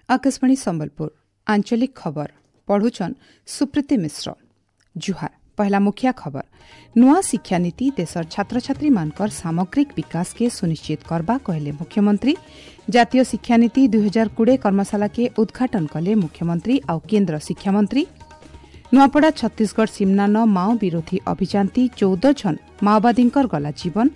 ଆକାଶବାଣୀ ସମ୍ବଲପୁର ଆଞ୍ଚଳିକ ଖବର ପଢୁଛନ୍ ସୁପ୍ରୀତି ମିଶ୍ର। ଜୁହାର। ପହଲା ମୁଖିଆ ଖବର। ନୂଆ ଶିକ୍ଷାନୀତି ଦେଶର ଛାତ୍ରଛାତ୍ରୀମାନଙ୍କର ସାମଗ୍ରିକ ବିକାଶକେ ସୁନିଶ୍ଚିତ କରବା କହିଲେ ମୁଖ୍ୟମନ୍ତ୍ରୀ। ଜାତୀୟ ଶିକ୍ଷାନୀତି 2020 କର୍ମଶାଳାକେ ଉଦ୍ଘାଟନ କଲେ ମୁଖ୍ୟମନ୍ତ୍ରୀ ଆଉ କେନ୍ଦ୍ର ଶିକ୍ଷାମନ୍ତ୍ରୀ। ନୂଆପଡ଼ା ଛତିଶଗଡ଼ ସୀମନାନ ମାଓ ବିରୋଧୀ ଅଭିଯାନତି 14 ଜଣ ମାଓବାଦୀଙ୍କର ଗଲା ଜୀବନ।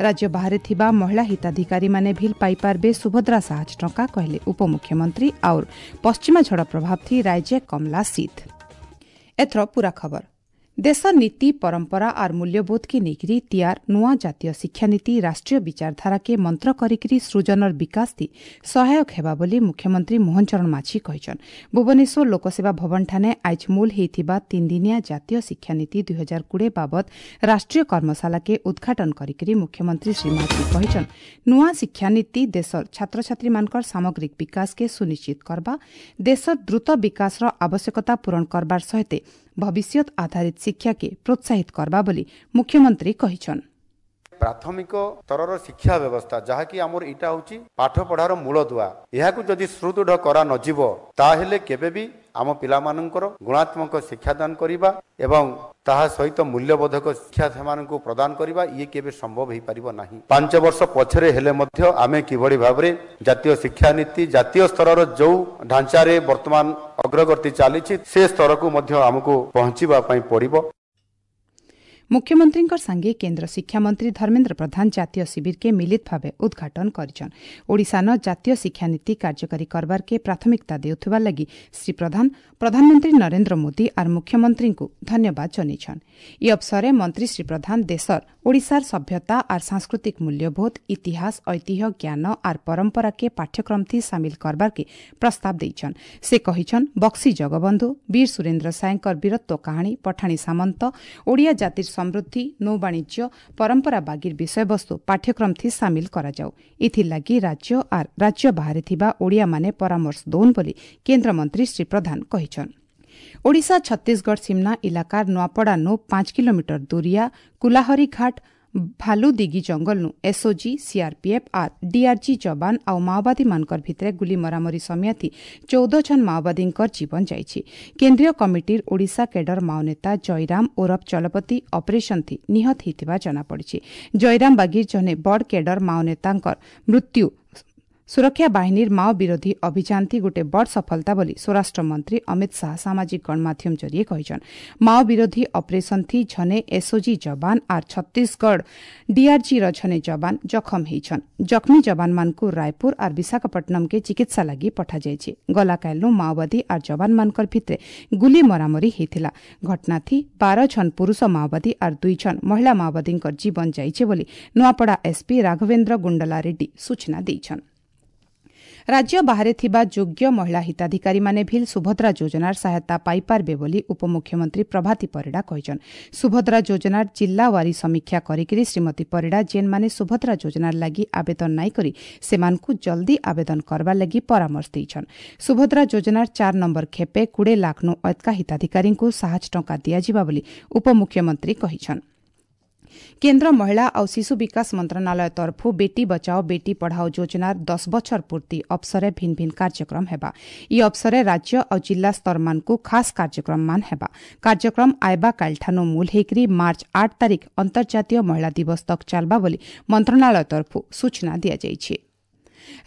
ରାଜ୍ୟ ବାହାରେ ଥିବା ମହିଳା ହିତାଧିକାରୀମାନେ ଭିଲ୍ ପାଇପାରବେ ସୁଭଦ୍ରା ସାହାଯ୍ୟ ଟଙ୍କା କହିଲେ ଉପମୁଖ୍ୟମନ୍ତ୍ରୀ। ଆଉର ପଶ୍ଚିମା ଝଡ଼ ପ୍ରଭାବ ଥି ରାଜ୍ୟ କମଲା ଶୀତ। ଏଥର ପୂରା ଖବର। ଦେଶ ନୀତି ପରମ୍ପରା ଆର୍ ମୂଲ୍ୟବୋଧକେ ନେଇକରି ତିଆର ନୂଆ ଜାତୀୟ ଶିକ୍ଷାନୀତି ରାଷ୍ଟ୍ରୀୟ ବିଚାରଧାରାକେ ମନ୍ତ୍ର କରିକିରି ସୃଜନର ବିକାଶ ଥି ସହାୟକ ହେବା ବୋଲି ମୁଖ୍ୟମନ୍ତ୍ରୀ ମୋହନ ଚରଣ ମାଝୀ କହିଛନ୍। ଭୁବନେଶ୍ୱର ଲୋକସେବା ଭବନଠାନେ ଆଇଜ୍ ମୂଲ ହେଇଥିବା ତିନିଦିନିଆ ଜାତୀୟ ଶିକ୍ଷାନୀତି 2020 ବାବଦ ରାଷ୍ଟ୍ରୀୟ କର୍ମଶାଳାକେ ଉଦ୍ଘାଟନ କରିକିରି ମୁଖ୍ୟମନ୍ତ୍ରୀ ଶ୍ରୀ ମାଝୀ କହିଛନ୍, ନୂଆ ଶିକ୍ଷାନୀତି ଦେଶର ଛାତ୍ରଛାତ୍ରୀମାନଙ୍କର ସାମଗ୍ରିକ ବିକାଶକେ ସୁନିଶ୍ଚିତ କରବା, ଦେଶର ଦ୍ରୁତ ବିକାଶର ଆବଶ୍ୟକତା ପୂରଣ କରବାର ସହିତ ଭବିଷ୍ୟତ ଆଧାରିତ ଶିକ୍ଷାକେ ପ୍ରୋତ୍ସାହିତ କରବା ବୋଲି ମୁଖ୍ୟମନ୍ତ୍ରୀ କହିଛନ୍। ପ୍ରାଥମିକ ସ୍ତରର ଶିକ୍ଷା ବ୍ୟବସ୍ଥା ଯାହାକି ଆମର ଏଇଟା ହେଉଛି ପାଠ ପଢ଼ାର ମୂଳଦୁଆ, ଏହାକୁ ଯଦି ସୁଦୃଢ଼ କରା ନଯିବ ତାହେଲେ କେବେ ବି ଆମ ପିଲାମାନଙ୍କର ଗୁଣାତ୍ମକ ଶିକ୍ଷାଦାନ କରିବା ଏବଂ ତାହା ସହିତ ମୂଲ୍ୟବୋଧକ ଶିକ୍ଷା ସେମାନଙ୍କୁ ପ୍ରଦାନ କରିବା ଇଏ କେବେ ସମ୍ଭବ ହେଇପାରିବ ନାହିଁ। 5 ବର୍ଷ ପଛରେ ହେଲେ ମଧ୍ୟ ଆମେ କିଭଳି ଭାବରେ ଜାତୀୟ ଶିକ୍ଷାନୀତି ଜାତୀୟ ସ୍ତରର ଯେଉଁ ଢାଞ୍ଚାରେ ବର୍ତ୍ତମାନ ଅଗ୍ରଗତି ଚାଲିଛି ସେ ସ୍ତରକୁ ମଧ୍ୟ ଆମକୁ ପହଞ୍ଚିବା ପାଇଁ ପଡ଼ିବ। ମୁଖ୍ୟମନ୍ତ୍ରୀଙ୍କ ସାଙ୍ଗେ କେନ୍ଦ୍ର ଶିକ୍ଷାମନ୍ତ୍ରୀ ଧର୍ମେନ୍ଦ୍ର ପ୍ରଧାନ ଜାତୀୟ ଶିବିରକେ ମିଳିତ ଭାବେ ଉଦ୍ଘାଟନ କରିଛନ୍। ଓଡ଼ିଶାନ ଜାତୀୟ ଶିକ୍ଷାନୀତି କାର୍ଯ୍ୟକାରୀ କରବାରକେ ପ୍ରାଥମିକତା ଦେଉଥିବା ଲାଗି ଶ୍ରୀ ପ୍ରଧାନ ପ୍ରଧାନମନ୍ତ୍ରୀ ନରେନ୍ଦ୍ର ମୋଦି ଆର୍ ମୁଖ୍ୟମନ୍ତ୍ରୀଙ୍କୁ ଧନ୍ୟବାଦ ଜଣାଇଛନ୍। ଇ ଅବସରରେ ମନ୍ତ୍ରୀ ଶ୍ରୀ ପ୍ରଧାନ ଦେଶର ଓଡ଼ିଶାର ସଭ୍ୟତା ଆର୍ ସାଂସ୍କୃତିକ ମୂଲ୍ୟବୋଧ, ଇତିହାସ, ଐତିହ୍ୟ, ଜ୍ଞାନ ଆର୍ ପରମ୍ପରାକେ ପାଠ୍ୟକ୍ରମଥି ସାମିଲ କରବାରକେ ପ୍ରସ୍ତାବ ଦେଇଛନ୍। ସେ କହିଛନ୍, ବକ୍ସି ଜଗବନ୍ଧୁ, ବୀର ସୁରେନ୍ଦ୍ର ସାଏଙ୍କର ବୀରତ୍ୱ କାହାଣୀ, ପଠାଣି ସାମନ୍ତ, ଓଡ଼ିଆ ଜାତିର ସମୃଦ୍ଧି, ନୌବାଣିଜ୍ୟ, ପରମ୍ପରା ବାଗିର ବିଷୟବସ୍ତୁ ପାଠ୍ୟକ୍ରମଥି ସାମିଲ କରାଯାଉ। ଏଥିଲାଗି ରାଜ୍ୟ ଆର୍ ରାଜ୍ୟ ବାହାରେ ଥିବା ଓଡ଼ିଆମାନେ ପରାମର୍ଶ ଦଉନ୍ ବୋଲି କେନ୍ଦ୍ରମନ୍ତ୍ରୀ ଶ୍ରୀ ପ୍ରଧାନ କହିଛନ୍। ଓଡ଼ିଶା ଛତିଶଗଡ଼ ସୀମନା ଇଲାକାର ନୂଆପଡ଼ାନୁ 5 କିଲୋମିଟର ଦୂରିଆ କୁଲାହରିଘାଟ ଭାଲୁଦିଗି ଜଙ୍ଗଲନୁ ଏସ୍ଓଜି, ସିଆର୍ପିଏଫ୍ ଆର୍ ଡିଆର୍ଜି ଯବାନ ଆଉ ମାଓବାଦୀମାନଙ୍କର ଭିତରେ ଗୁଲି ମରାମରି ସମିଆଥି 14 ଜଣ ମାଓବାଦୀଙ୍କର ଜୀବନ ଯାଇଛି। କେନ୍ଦ୍ରୀୟ କମିଟିର ଓଡ଼ିଶା କେଡର ମାଓନେତା ଜୟରାମ ଓରଫ ଚଲପତି ଅପରେସନ୍ ଥି ନିହତ ହୋଇଥିବା ଜଣାପଡ଼ିଛି। ଜୟରାମ ବାଗିର ଜଣେ ବଡ଼ କେଡର ମାଓନେତାଙ୍କର ମୃତ୍ୟୁ ସୁରକ୍ଷା ବାହିନୀର ମାଓ ବିରୋଧୀ ଅଭିଯାନ ଥି ଗୋଟେ ବଡ଼ ସଫଳତା ବୋଲି ସ୍ୱରାଷ୍ଟ୍ର ମନ୍ତ୍ରୀ ଅମିତ ଶାହା ସାମାଜିକ ଗଣମାଧ୍ୟମ ଜରିଏ କହିଛନ୍। ମାଓ ବିରୋଧୀ ଅପରେସନ୍ ଥି ଝନେ ଏସ୍ଓଜି ଯବାନ ଆର୍ ଛତିଶଗଡ଼ ଡିଆର୍ଜିର ଝନେ ଯବାନ ଜଖମ ହେଇଛନ୍। ଜଖମୀ ଯବାନମାନଙ୍କୁ ରାୟପୁର ଆର୍ ବିଶାଖାପଟ୍ଟନମକେ ଚିକିତ୍ସା ଲାଗି ପଠାଯାଇଛି। ଗଲାକାଲିନୁ ମାଓବାଦୀ ଆର୍ ଯବାନମାନଙ୍କର ଭିତରେ ଗୁଲି ମରାମରି ହେଇଥିଲା। ଘଟଣାଥି 12 ଜଣ ପୁରୁଷ ମାଓବାଦୀ ଆର୍ 2 ଜଣ ମହିଳା ମାଓବାଦୀଙ୍କର ଜୀବନ ଯାଇଛି ବୋଲି ନୂଆପଡ଼ା ଏସ୍ପି ରାଘବେନ୍ଦ୍ର ଗୁଣ୍ଡଲା ରେଡ୍ଡି ସୂଚନା ଦେଇଛନ୍। ରାଜ୍ୟ ବାହାରେ ଥିବା ଯୋଗ୍ୟ ମହିଳା ହିତାଧିକାରୀମାନେ ଭିଲ୍ ସୁଭଦ୍ରା ଯୋଜନାର ସହାୟତା ପାଇପାରିବେ ବୋଲି ଉପମୁଖ୍ୟମନ୍ତ୍ରୀ ପ୍ରଭାତୀ ପରିଡ଼ା କହିଛନ୍। ସୁଭଦ୍ରା ଯୋଜନାର ଜିଲ୍ଲାୱାରୀ ସମୀକ୍ଷା କରିକିରି ଶ୍ରୀମତୀ ପରିଡ଼ା ଯେନ୍ମାନେ ସୁଭଦ୍ରା ଯୋଜନାର ଲାଗି ଆବେଦନ ନାଇଁ କରି ସେମାନଙ୍କୁ ଜଲ୍ଦି ଆବେଦନ କରବାର ଲାଗି ପରାମର୍ଶ ଦେଇଛନ୍। ସୁଭଦ୍ରା ଯୋଜନାର 4 ନମ୍ବର ଖେପେ 20 ଲାଖନୁ ଅଧିକା ହିତାଧିକାରୀଙ୍କୁ ସାହାଯ୍ୟ ଟଙ୍କା ଦିଆଯିବା ବୋଲି ଉପମୁଖ୍ୟମନ୍ତ୍ରୀ କହିଛନ୍। କେନ୍ଦ୍ର ମହିଳା ଆଉ ଶିଶୁ ବିକାଶ ମନ୍ତ୍ରଣାଳୟ ତରଫରୁ ବେଟି ବଚାଓ ବେଟି ପଢ଼ାଓ ଯୋଜନାର 10 ବଛର ପୂର୍ତ୍ତି ଅବସରେ ଭିନ୍ନ ଭିନ୍ନ କାର୍ଯ୍ୟକ୍ରମ ହେବା। ଇ ଅବସରେ ରାଜ୍ୟ ଆଉ ଜିଲ୍ଲା ସ୍ତରମାନଙ୍କୁ ଖାସ୍ କାର୍ଯ୍ୟକ୍ରମମାନ ହେବା। କାର୍ଯ୍ୟକ୍ରମ ଆଇବା କାଲିଠାନୁ ମୂଲ ହେଇକରି ମାର୍ଚ୍ଚ 8 ତାରିଖ ଅନ୍ତର୍ଜାତୀୟ ମହିଳା ଦିବସ ତକ୍ ଚାଲବା ବୋଲି ମନ୍ତ୍ରଣାଳୟ ତରଫରୁ ସୂଚନା ଦିଆଯାଇଛି।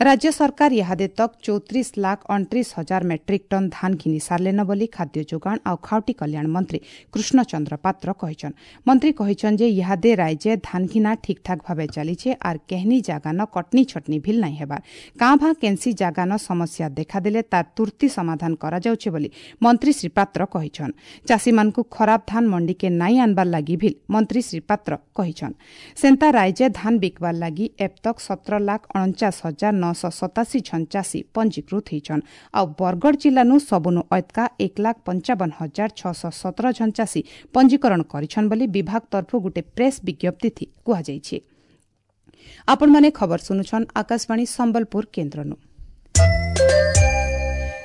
ରାଜ୍ୟ ସରକାର ଇହାଦେ ତକ୍ 34,29,000 ମେଟ୍ରିକ୍ ଟନ୍ ଧାନ ଘିନି ସାରିଲେନ ବୋଲି ଖାଦ୍ୟ ଯୋଗାଣ ଆଉ ଖାଉଟି କଲ୍ୟାଣ ମନ୍ତ୍ରୀ କୃଷ୍ଣଚନ୍ଦ୍ର ପାତ୍ର କହିଛନ୍। ମନ୍ତ୍ରୀ କହିଛନ୍ ଯେ ଇହାଦେ ରାଜ୍ୟ ଧାନ ଘିନା ଠିକ୍ଠାକ୍ ଭାବେ ଚାଲିଛେ ଆର୍ କେହନି ଜାଗାନ କଟନି ଛଟନି ଭିଲ୍ ନାଇଁ ହେବାର। କାଁ ଭାଁ କେନ୍ସି ଜାଗାନ ସମସ୍ୟା ଦେଖାଦେଲେ ତାର ତୁର୍ତ୍ତି ସମାଧାନ କରାଯାଉଛେ ବୋଲି ମନ୍ତ୍ରୀ ଶ୍ରୀ ପାତ୍ର କହିଛନ୍। ଚାଷୀମାନଙ୍କୁ ଖରାପ ଧାନ ମଣ୍ଡିକେ ନାଇଁ ଆନବାର ଲାଗି ଭିଲ୍ ମନ୍ତ୍ରୀ ଶ୍ରୀ ପାତ୍ର କହିଛନ୍। ସେନ୍ତା ରାଜ୍ୟ ଧାନ ବିକବାର ଲାଗି ଏବ୍ ତକ୍ 17,49,987 ଜଣ ଚାଷୀ ପଞ୍ଜୀକୃତ ହେଇଛନ୍। ଆଉ ବରଗଡ଼ ଜିଲ୍ଲାନୁ ସବୁନୁ ଅଏତକା 1,55,617 ଜଣ ଚାଷୀ ପଞ୍ଜୀକରଣ କରିଛନ୍ ବୋଲି ବିଭାଗ ତରଫରୁ ଗୋଟେ ପ୍ରେସ୍ ବିଜ୍ଞପ୍ତି କୁହାଯାଇଛି। ଆପଣମାନେ ଖବର ଶୁଣୁଛନ୍ ଆକାଶବାଣୀ ସମ୍ବଲପୁର କେନ୍ଦ୍ରନୁ।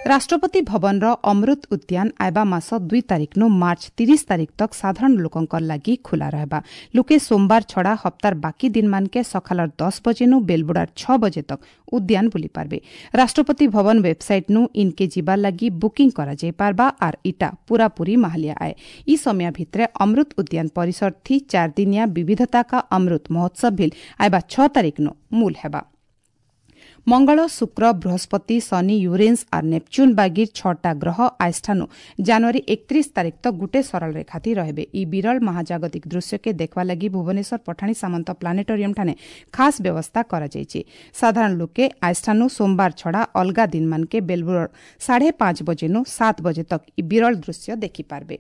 ରାଷ୍ଟ୍ରପତି ଭବନର ଅମୃତ ଉଦ୍ୟାନ ଆଇବା ମାସ 2 ତାରିଖନୁ ମାର୍ଚ୍ଚ 30 ତାରିଖ ତକ ସାଧାରଣ ଲୋକଙ୍କର ଲାଗି ଖୋଲା ରହିବା। ଲୋକେ ସୋମବାର ଛଡ଼ା ହପ୍ତାର ବାକି ଦିନମାନକେ ସକାଳର 10 ବଜେନୁ ବେଲବୁଡ଼ାର 6 ବଜେ ତକ ଉଦ୍ୟାନ ବୁଲି ପାରବେ। ରାଷ୍ଟ୍ରପତି ଭବନ ୱେବସାଇଟ୍ନୁ ଇନକେ ଯିବାର ଲାଗି ବୁକିଂ କରାଯାଇ ପାରବା ଆର୍ ଇଟା ପୁରାପୁରି ମାହାଲିଆ ଆଏ। ଇ ସମୟ ଭିତରେ ଅମୃତ ଉଦ୍ୟାନ ପରିସର ଥି 4 ଦିନିଆ ବିବିଧତା କା ଅମୃତ ମହୋତ୍ସବ ଭିଲ୍ ଆଇବା 6 ତାରିଖନୁ ମୂଲ ହେବା। ମଙ୍ଗଳ, ଶୁକ୍ର, ବୃହସ୍ପତି, ଶନି, ୟୁରେନ୍ସ ଆର୍ ନେପଚ୍ୟୁନ୍ ବାଗିର 6ଟା ଗ୍ରହ ଆଇଷ୍ଠାନୁ ଜାନୁଆରୀ 31 ତାରିଖ ତକ ଗୁଟେ ସରଳ ରେଖାଥି ରହିବେ। ଇ ବିରଳ ମହାଜାଗତିକ ଦୃଶ୍ୟକେ ଦେଖବା ଲାଗି ଭୁବନେଶ୍ୱର ପଠାଣି ସାମନ୍ତ ପ୍ଲାନେଟୋରିୟମ ଠାନେ ଖାସ୍ ବ୍ୟବସ୍ଥା କରାଯାଇଛି। ସାଧାରଣ ଲୋକେ ଆଇଷ୍ଠାନୁ ସୋମବାର ଛଡ଼ା ଅଲଗା ଦିନମାନକେ ବେଲବୁର 5:30 ବଜେନୁ 7 ବଜେ ତକ ଇ ବିରଳ ଦୃଶ୍ୟ ଦେଖିପାରବେ।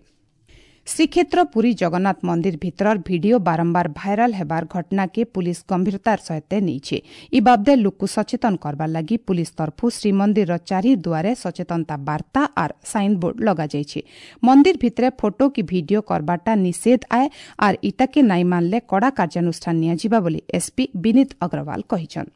ଶ୍ରୀକ୍ଷେତ୍ର ପୁରୀ ଜଗନ୍ନାଥ ମନ୍ଦିର ଭିତରର ଭିଡିଓ ବାରମ୍ବାର ଭାଇରାଲ ହେବାର ଘଟଣାକେ ପୁଲିସ ଗମ୍ଭୀରତାର ସହିତ ନେଇছে। ଇ ବାବଦେ ଲୋକକୁ ସଚେତନ କରବାର ଲାଗି ପୁଲିସ ତରଫୁ ଶ୍ରୀମନ୍ଦିରର ଚାରି ଦୁଆରେ ସଚେତନତା ବାର୍ତ୍ତା ଆର୍ ସାଇନବୋର୍ଡ ଲଗାଯାଇଛି। ମନ୍ଦିର ଭିତରେ ଫଟୋ କି ଭିଡିଓ କରବାରଟା ନିଷେଧ ଆଏ ଆର୍ ଇଟାକେ ନାଇଁ ମାନଲେ କଡ଼ା କାର୍ଯ୍ୟାନୁଷ୍ଠାନ ନିଆଯିବା ବୋଲି ଏସ୍ପି ବିନୀତ ଅଗ୍ରୱାଲ କହିଛନ୍।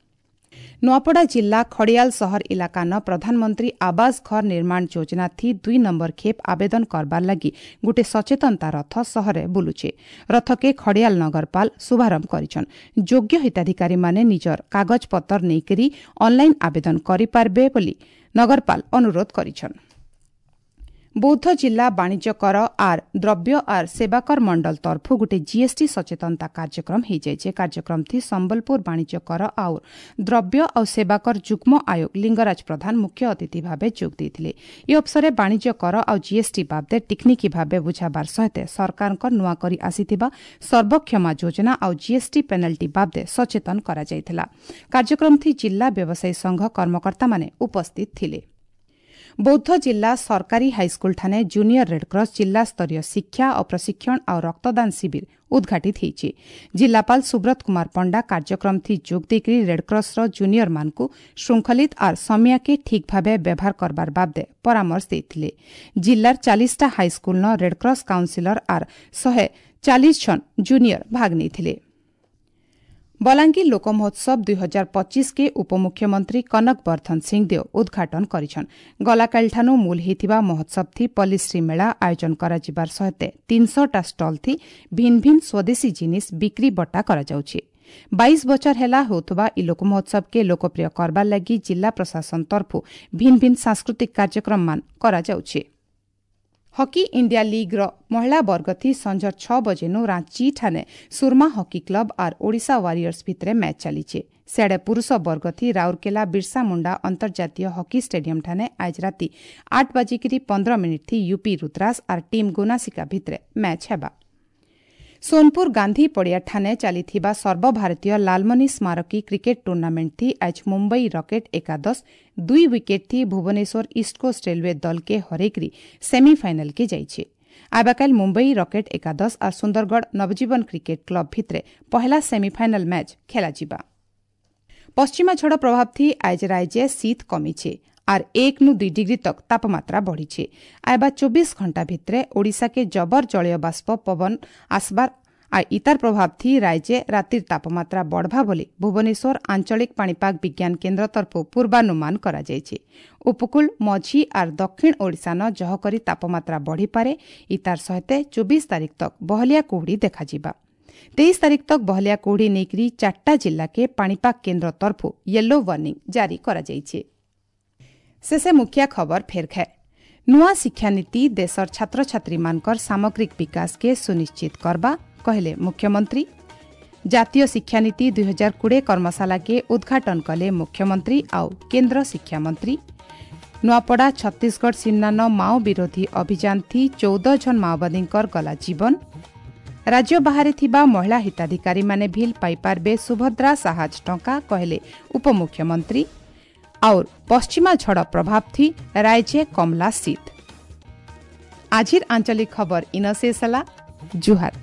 ନୂଆପଡ଼ା ଜିଲ୍ଲା ଖଡ଼ିଆଲ ସହର ଇଲାକାନ ପ୍ରଧାନମନ୍ତ୍ରୀ ଆବାସ ଘର ନିର୍ମାଣ ଯୋଜନା ଥି 2 ନମ୍ବର ଖେପ୍ ଆବେଦନ କରବାର ଲାଗି ଗୁଟେ ସଚେତନତା ରଥ ସହରେ ବୁଲୁଛେ। ରଥକେ ଖଡ଼ିଆଲ ନଗରପାଲ ଶୁଭାରମ୍ଭ କରିଛନ୍। ଯୋଗ୍ୟ ହିତାଧିକାରୀମାନେ ନିଜର କାଗଜପତ୍ର ନେଇକରି ଅନଲାଇନ୍ ଆବେଦନ କରିପାରିବେ ବୋଲି ନଗରପାଲ ଅନୁରୋଧ କରିଛନ୍। ବୌଦ୍ଧ ଜିଲ୍ଲା ବାଣିଜ୍ୟ କର ଆର୍ ଦ୍ରବ୍ୟ ଆର୍ ସେବାକର ମଣ୍ଡଳ ତରଫୁ ଗୋଟେ ଜିଏସ୍ଟି ସଚେତନତା କାର୍ଯ୍ୟକ୍ରମ ହେଇଯାଇଛି। କାର୍ଯ୍ୟକ୍ରମ ଥି ସମ୍ବଲପୁର ବାଣିଜ୍ୟ କର ଆଉ ଦ୍ରବ୍ୟ ଆଉ ସେବାକର ଯୁଗ୍ମ ଆୟୋଗ ଲିଙ୍ଗରାଜ ପ୍ରଧାନ ମୁଖ୍ୟ ଅତିଥି ଭାବେ ଯୋଗ ଦେଇଥିଲେ। ଏ ଅବସରରେ ବାଣିଜ୍ୟ କର ଆଉ ଜିଏସ୍ଟି ବାବଦେ ଟିକ୍ନିକି ଭାବେ ବୁଝାବାର ସହିତ ସରକାରଙ୍କ ନୂଆ କରି ଆସିଥିବା ସର୍ବକ୍ଷମା ଯୋଜନା ଆଉ ଜିଏସ୍ଟି ପେନାଲ୍ଟି ବାବଦେ ସଚେତନ କରାଯାଇଥିଲା। କାର୍ଯ୍ୟକ୍ରମ ଥି ଜିଲ୍ଲା ବ୍ୟବସାୟୀ ସଂଘ କର୍ମକର୍ତ୍ତାମାନେ ଉପସ୍ଥିତ ଥିଲେ। ବୌଦ୍ଧ ଜିଲ୍ଲା ସରକାରୀ ହାଇସ୍କୁଲଠାନେ ଜୁନିୟର ରେଡ୍କ୍ରସ୍ ଜିଲ୍ଲାସ୍ତରୀୟ ଶିକ୍ଷା ଓ ପ୍ରଶିକ୍ଷଣ ଆଉ ରକ୍ତଦାନ ଶିବିର ଉଦ୍ଘାଟିତ ହୋଇଛି। ଜିଲ୍ଲାପାଳ ସୁବ୍ରତ କୁମାର ପଣ୍ଡା କାର୍ଯ୍ୟକ୍ରମ ଥି ଯୋଗ ଦେଇକରି ରେଡ୍କ୍ରସ୍ର ଜୁନିୟରମାନଙ୍କୁ ଶୃଙ୍ଖଳିତ ଆର୍ ସମିଆକେ ଠିକ୍ ଭାବେ ବ୍ୟବହାର କରବାର ବାବଦେ ପରାମର୍ଶ ଦେଇଥିଲେ। ଜିଲ୍ଲାର 40ଟା ହାଇସ୍କୁଲନ ରେଡ୍କ୍ରସ୍ କାଉନସିଲର ଆର୍ 140 ଜଣ ଜୁନିୟର ଭାଗ ନେଇଥିଲେ। ବଲାଙ୍ଗୀର ଲୋକ ମହୋତ୍ସବ 2025 କେ ଉପମୁଖ୍ୟମନ୍ତ୍ରୀ କନକ ବର୍ଦ୍ଧନ ସିଂଦେଓ ଉଦ୍ଘାଟନ କରିଛନ୍। ଗଲାକାଲିଠାନୁ ମୂଲ ହେଇଥିବା ମହୋତ୍ସବ ଥି ପଲ୍ଲୀଶ୍ରୀ ମେଳା ଆୟୋଜନ କରାଯିବାର ସହିତ 300ଟା ଷ୍ଟଲ୍ ଥି ଭିନ୍ ଭିନ୍ ସ୍ୱଦେଶୀ ଜିନିଷ ବିକ୍ରି ବଟା କରାଯାଉଛି। 22 ବଛର ହେଲା ହେଉଥିବା ଇ ଲୋକ ମହୋତ୍ସବକେ ଲୋକପ୍ରିୟ କରବାର ଲାଗି ଜିଲ୍ଲା ପ୍ରଶାସନ ତରଫୁ ଭିନ୍ ଭିନ୍ ସାଂସ୍କୃତିକ କାର୍ଯ୍ୟକ୍ରମମାନ କରାଯାଉଛି। ହକି ଇଣ୍ଡିଆ ଲିଗ୍ର ମହିଳା ବର୍ଗ ଥି ସଞ୍ଜ 6 ବଜେନୁ ରାଞ୍ଚି ଠାନେ ସୁରମା ହକି କ୍ଲବ ଆର୍ ଓଡ଼ିଶା ୱାରିୟର୍ସ ଭିତରେ ମ୍ୟାଚ୍ ଚାଲିଛେ। ସିଆଡ଼େ ପୁରୁଷ ବର୍ଗ ଥି ରାଉରକେଲା ବିର୍ସା ମୁଣ୍ଡା ଅନ୍ତର୍ଜାତୀୟ ହକି ଷ୍ଟାଡିୟମ ଠାନେ ଆଜ ରାତି 8:15 ଥି ୟୁପି ରୁଦ୍ରାସ ଆର୍ ଟିମ୍ ଗୁନାସିକା ଭିତରେ ମ୍ୟାଚ୍ ହେବା। ସୋନପୁର ଗାନ୍ଧୀ ପଡ଼ିଆ ଠାନେ ଚାଲିଥିବା ସର୍ବଭାରତୀୟ ଲାଲମନି ସ୍ମାରକୀ କ୍ରିକେଟ ଟୁର୍ଣ୍ଣାମେଣ୍ଟ ଥି ଆଜ ମୁମ୍ବାଇ ରକେଟ୍ ଏକାଦଶ 2 ୱିକେଟ୍ ଥି ଭୁବନେଶ୍ୱର ଇଷ୍ଟକୋଷ୍ଟ ରେଲୱେ ଦଲକେ ହରେଇକରି ସେମିଫାଇନାଲକେ ଯାଇଛି। ଆବାକାଲ ମୁମ୍ବାଇ ରକେଟ୍ ଏକାଦଶ ଆର୍ ସୁନ୍ଦରଗଡ଼ ନବଜୀବନ କ୍ରିକେଟ କ୍ଲବ ଭିତରେ ପହଲା ସେମିଫାଇନାଲ ମ୍ୟାଚ୍ ଖେଳାଯିବା। ପଶ୍ଚିମା ଝଡ଼ ପ୍ରଭାବ ଥି ଆଜ ରାଜ୍ୟ ଶୀତ କମିছে ଆର୍ 1 ନୁ 2 ଡିଗ୍ରୀ ତକ ତାପମାତ୍ରା ବଢ଼ିছে। ଆଇବା 24 ଘଣ୍ଟା ଭିତରେ ଓଡ଼ିଶାକେ ଜବର ଜଳୀୟ ବାଷ୍ପ ପବନ ଆସବାର আর ଇତାର ପ୍ରଭାବ ଥି ରାଜ୍ୟ ରାତିର ତାପମାତ୍ରା ବଢ଼ବା ବୋଲି ଭୁବନେଶ୍ୱର ଆଞ୍ଚଳିକ ପାଣିପାଗ ବିଜ୍ଞାନ କେନ୍ଦ୍ର ତରଫୁ ପୂର୍ବାନୁମାନ କରାଯାଇଛି। ଉପକୂଳ, ମଝି ଆର୍ ଦକ୍ଷିଣ ଓଡ଼ିଶାନ ଜହକରି ତାପମାତ୍ରା ବଢ଼ିପାରେ। ଇତାର ସହିତ 24 ତାରିଖ ତକ ବହଲିଆ କୁହୁଡ଼ି ଦେଖାଯିବା। 23 ତାରିଖ ତକ ବହଲିଆ କୁହୁଡ଼ି ନେଇକରି 4ଟା ଜିଲ୍ଲାକେ ପାଣିପାଗ କେନ୍ଦ୍ର ତରଫୁ ୟେଲୋ ୱାର୍ଣ୍ଣିଂ ଜାରି କରାଯାଇଛି। ଶେଷେ ମୁଖିଆ ଖବର ଫେର ଖାଏ। ନୂଆ ଶିକ୍ଷାନୀତି ଦେଶର ଛାତ୍ରଛାତ୍ରୀମାନଙ୍କର ସାମଗ୍ରିକ ବିକାଶକେ ସୁନିଶ୍ଚିତ କରବା କହିଲେ ମୁଖ୍ୟମନ୍ତ୍ରୀ। ଜାତୀୟ ଶିକ୍ଷାନୀତି 2020 କର୍ମଶାଳାକେ ଉଦ୍ଘାଟନ କଲେ ମୁଖ୍ୟମନ୍ତ୍ରୀ ଆଉ କେନ୍ଦ୍ର ଶିକ୍ଷାମନ୍ତ୍ରୀ। ନୂଆପଡ଼ା ଛତିଶଗଡ଼ ସୀମାନ ମାଓ ବିରୋଧୀ ଅଭିଯାନ ଥି 14 ଜଣ ମାଓବାଦୀଙ୍କର ଗଲା ଜୀବନ। ରାଜ୍ୟ ବାହାରେ ଥିବା ମହିଳା ହିତାଧିକାରୀମାନେ ଭିଲ୍ ପାଇପାରିବେ ସୁଭଦ୍ରା ସାହାଯ୍ୟ ଟଙ୍କା କହିଲେ ଉପମୁଖ୍ୟମନ୍ତ୍ରୀ। और पश्चिमा झड़ प्रभाव थी राज्य कमला शीत। आजिर आंचलिक खबर इन शेष। जुहार।